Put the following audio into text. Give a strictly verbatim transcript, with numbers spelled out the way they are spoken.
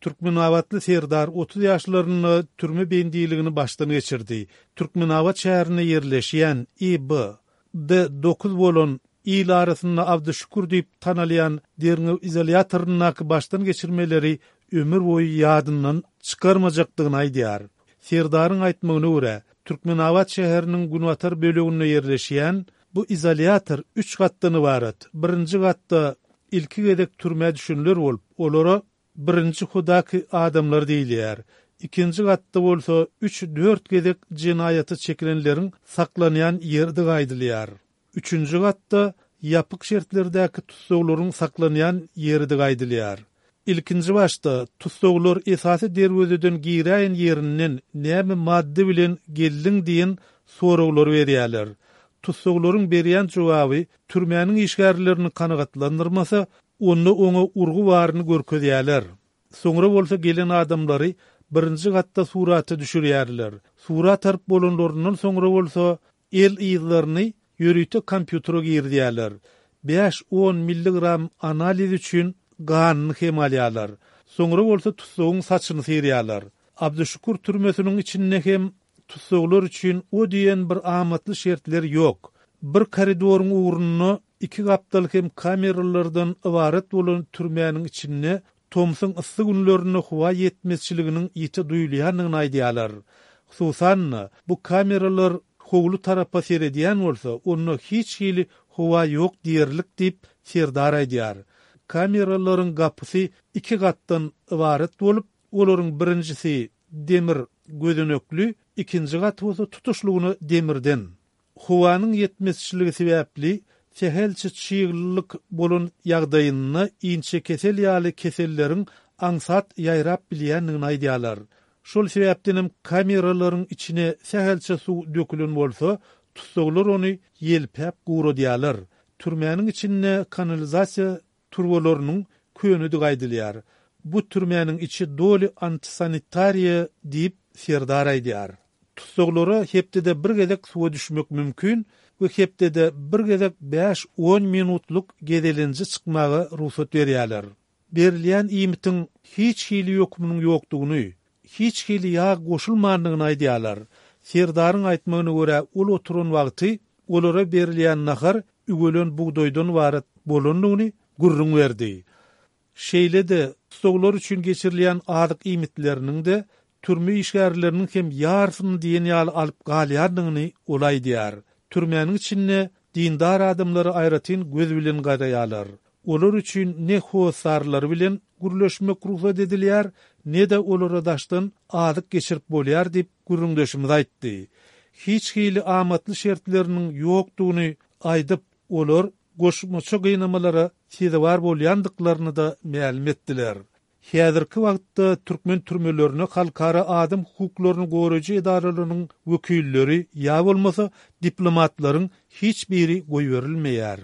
Türkmenabatly Serdar otuz ýaşlarynda türme bendiligini başdan geçirdi. Türkmenabat şäherinde ýerleşýän I B D dokuz bolan il arasynda Abdyşükür diýip tanalýan derňew izolýatoryndaky başdan geçirmeleri ömür boýy ýadyndan çykarmajakdygyny aýdýar. Serdaryň aýtmagyna görä, Türkmenabat şäheriniň günbatar böleginde ýerleşýän bu izolýator üç gatdan ybarat. Birinji gatda ilki gezek türmä düşenler bolup, olara birinji hudaky adamlar diýilýär. Ikinji gatda bolsa üç-dört gezek jenaýata çekilenleriň saklanýan ýerdigi aýdylýar. Üçünji gatda ýapyk şertlerdäki tussaglaryň saklanýan ýerdigi aýdylýar. Ilkinji başda tussaglar esasy derwezeden giräýen ýerinden näme maddy bilen geldiň diýen soraglary berýärler. Tussaglaryň berýän jogaby türmäniň işgärlerini kanagatlandyrmasa, onda oňa urgy baryny görkezýärler. Soňra bolsa gelen adamlary birinji gatda surata düşürýärler. Surat alyp bolanlaryndan soňra bolsa el yzlaryny ýörite kompýutere girizýärler. Bäş-on milligram analiz üçin ganyny hem alýarlar. Soňra bolsa tussagyň saçyny syrýarlar. Abdyşükür türmesiniň içinde hem tussaglar üçin o diýen bir amatly şertler ýok. Bir koridoryň ugrunda iki gapdal hem kameralardan ybarat bolan türmäniň içinde tomsuň yssy günlerinde howa ýetmezçiliginiň ýiti duýulýandygyny aýdýarlar. Hususan-da, bu kameralar howly tarapa seredýän bolsa, onda hiç hili howa ýok diýerlik diýip Serdar aýdýar. Kameralaryň gapysy iki gatdan ybarat bolup, olaryň birinjisi demir gözenekli, ikinji gaty bolsa tutuşlygyna demirden. Howanyň ýetmezçiligi sebäpli sähelçe çyglylyk bolan ýagdaýynda inçe kesel ýaly keselleriň aňsat ýaýrap bilýändigini aýdýarlar. Şol sebäpdenem kameralaryň içine sähelçe suw dökülen bolsa, tussaglar ony ýelpäp guradýarlar. Türmäniň içinde kanalizasiýa turbalarynyň könedigi aýdylýar. Bu türmäniň içi doly antisanitariýa diýip Serdar aýdýar. Tussaglara hepdede bir gezek suwa düşmek mümkin we hepdede bir gezek bäş-on minutlyk gezelenje çykmaga rugsat berýärler. Berilýän iýmitiň hiç hili ýokumynyň ýokdugyny, hiç hili ýag goşulmandygyny aýdýarlar. Serdaryň aýtmagyna görä, ol oturan wagty olara berilýän nahar üwelen bugdaýdan ybarat bolandygyny gürrüň berdi. Şeýle-de tussaglar üçin geçirilýän azyk iýmitleriniň-de türme işgärleriniň hem ýarsyny diýen ýaly alyp galýandygyny ol aýdýar. Türmäniň içinde dindar adamlara aýratyn göz bilen garaýarlar. Olar üçin ne hossarlary bilen gürleşmek rugsat edilýär, ne-de olara daşdan azyk geçirip bolýar diýip gürrüňdeşimiz aýtdy. Hiç hili amatly şertleriniň ýokdugyny aýdyp, olar goşmaça gynamalara sezewar bolýandyklaryny da mälim etdiler. Häzirki wagtda türkmen türmelerine halkara adam hukuklaryny goraýjy edaralarynyň wekilleri ýa bolmasa diplomatlaryň hiç biri goýberilmeýär.